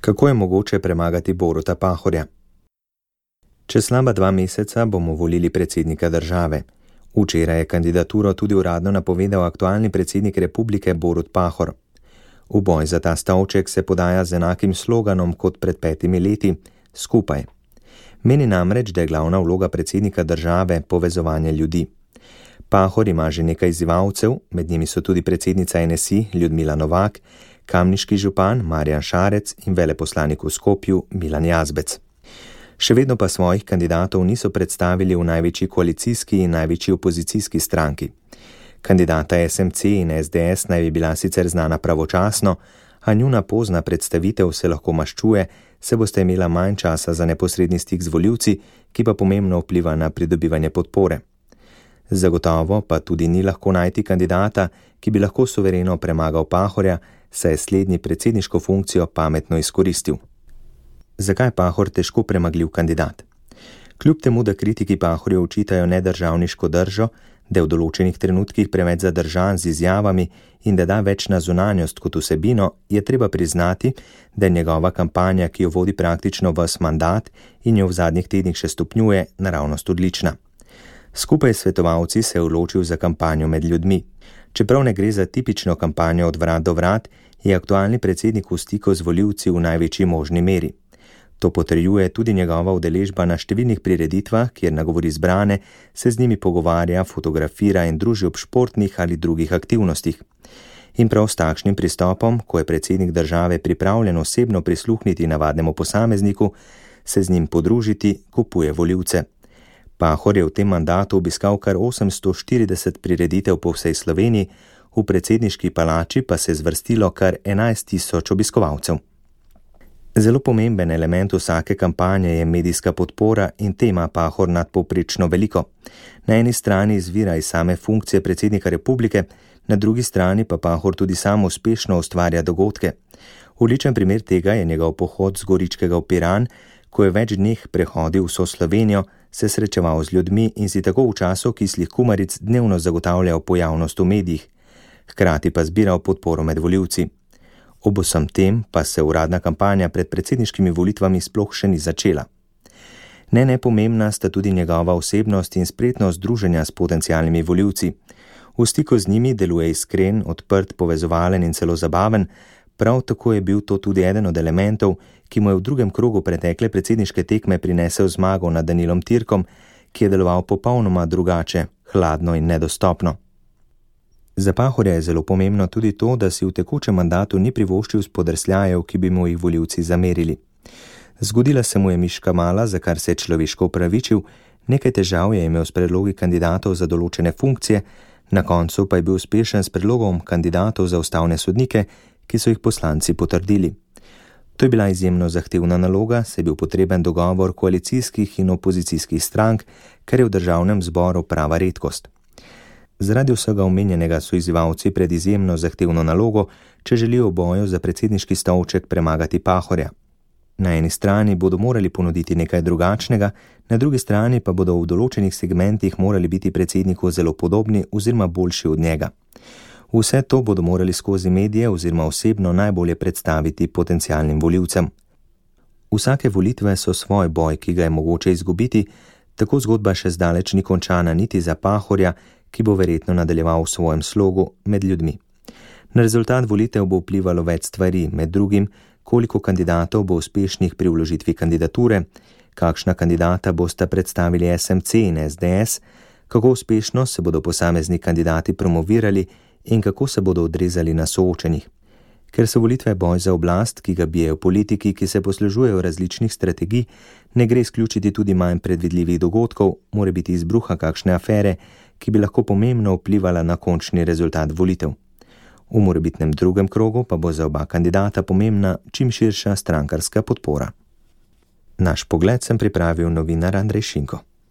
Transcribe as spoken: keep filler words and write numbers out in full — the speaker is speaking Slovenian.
Kako je mogoče premagati Boruta Pahorja? Čez slaba dva meseca bomo volili predsednika države. Včeraj je kandidaturo tudi uradno napovedal aktualni predsednik republike Borut Pahor. V boj za ta stolček se podaja z enakim sloganom kot pred petimi leti: skupaj. Meni namreč, da je glavna vloga predsednika države povezovanje ljudi. Pahor ima že nekaj izzivalcev, med njimi so tudi predsednica N S I Ljudmila Novak, kamniški župan Marjan Šarec in veleposlanik v Skopju Milan Jazbec. Še vedno pa svojih kandidatov niso predstavili v največji koalicijski in največji opozicijski stranki. Kandidata S M C in S D S naj bi bila sicer znana pravočasno, a njuna pozna predstavitev se lahko maščuje, se boste imela manj časa za neposredni stik z volivci, ki pa pomembno vpliva na pridobivanje podpore. Zagotovo pa tudi ni lahko najti kandidata, ki bi lahko suvereno premagal Pahorja, saj je slednji predsedniško funkcijo pametno izkoristil. Zakaj Pahor težko premagljiv kandidat? Kljub temu, da kritiki Pahorju očitajo nedržavniško držo, da je v določenih trenutkih preveč zadržan z izjavami in da da več na zunanjost kot vsebino, je treba priznati, da je njegova kampanja, ki jo vodi praktično ves mandat in jo v zadnjih tednih še stopnjuje, naravnost odlična. Skupaj s svetovalci se je odločil za kampanjo med ljudmi. Čeprav ne gre za tipično kampanjo od vrat do vrat, je aktualni predsednik v stiku z volivci v največji možni meri. To potrjuje tudi njegova udeležba na številnih prireditvah, kjer nagovori zbrane, se z njimi pogovarja, fotografira in druži ob športnih ali drugih aktivnostih. In prav s takšnim pristopom, ko je predsednik države pripravljen osebno prisluhniti navadnemu posamezniku, se z njim podružiti, kupuje volivce. Pahor je v tem mandatu obiskal kar osemsto štirideset prireditev po vsej Sloveniji, v predsedniški palači pa se je zvrstilo kar enajst tisoč obiskovalcev. Zelo pomemben element vsake kampanje je medijska podpora in tema Pahor nadpovprečno veliko. Na eni strani izvira iz same funkcije predsednika republike, na drugi strani pa Pahor tudi sam uspešno ustvarja dogodke. Odličen primer tega je njegov pohod z Goričkega v Piran, ko je več dneh prehodil vso Slovenijo, se srečeval z ljudmi in si tako v času kislih kumaric dnevno zagotavljal pojavnost v medijih, hkrati pa zbiral podporo med volivci. Ob vsem tem pa se uradna kampanja pred predsedniškimi volitvami sploh še ni začela. Ne nepomembna sta tudi njegova osebnost in spretnost druženja s potencialnimi volivci. V stiku z njimi deluje iskren, odprt, povezovalen in celo zabaven, prav tako je bil to tudi eden od elementov, ki mu je v drugem krogu pretekle predsedniške tekme prinesel zmago nad Danilom Tirkom, ki je deloval popolnoma drugače, hladno in nedostopno. Za Pahorja je zelo pomembno tudi to, da si v tekočem mandatu ni privoščil spodrsljajev, ki bi mu jih volivci zamerili. Zgodila se mu je miška mala, za kar se je človeško opravičil, nekaj težav je imel s predlogi kandidatov za določene funkcije, na koncu pa je bil uspešen s predlogom kandidatov za ustavne sodnike, ki so jih poslanci potrdili. To je bila izjemno zahtevna naloga, saj je bil potreben dogovor koalicijskih in opozicijskih strank, kar je v državnem zboru prava redkost. Zaradi vsega omenjenega so izzivalci pred izjemno zahtevno nalogo, če želijo v boju za predsedniški stolček premagati Pahorja. Na eni strani bodo morali ponuditi nekaj drugačnega, na drugi strani pa bodo v določenih segmentih morali biti predsedniku zelo podobni oziroma boljši od njega. Vse to bodo morali skozi medije oziroma osebno najbolje predstaviti potencialnim volivcem. Vsake volitve so svoj boj, ki ga je mogoče izgubiti, tako zgodba še zdaleč ni končana niti za Pahorja, ki bo verjetno nadaljeval v svojem slogu med ljudmi. Na rezultat volitev bo vplivalo več stvari, med drugim, koliko kandidatov bo uspešnih pri vložitvi kandidature, kakšna kandidata bosta predstavili S M C in S D S, kako uspešno se bodo posamezni kandidati promovirali in kako se bodo odrezali na soočenjih. Ker so volitve boj za oblast, ki ga bijejo politiki, ki se poslužujejo različnih strategij, ne gre izključiti tudi manj predvidljivih dogodkov, mora biti izbruha kakšne afere, ki bi lahko pomembno vplivala na končni rezultat volitev. V morebitnem drugem krogu pa bo za oba kandidata pomembna čim širša strankarska podpora. Naš pogled sem pripravil novinar Andrej Šinko.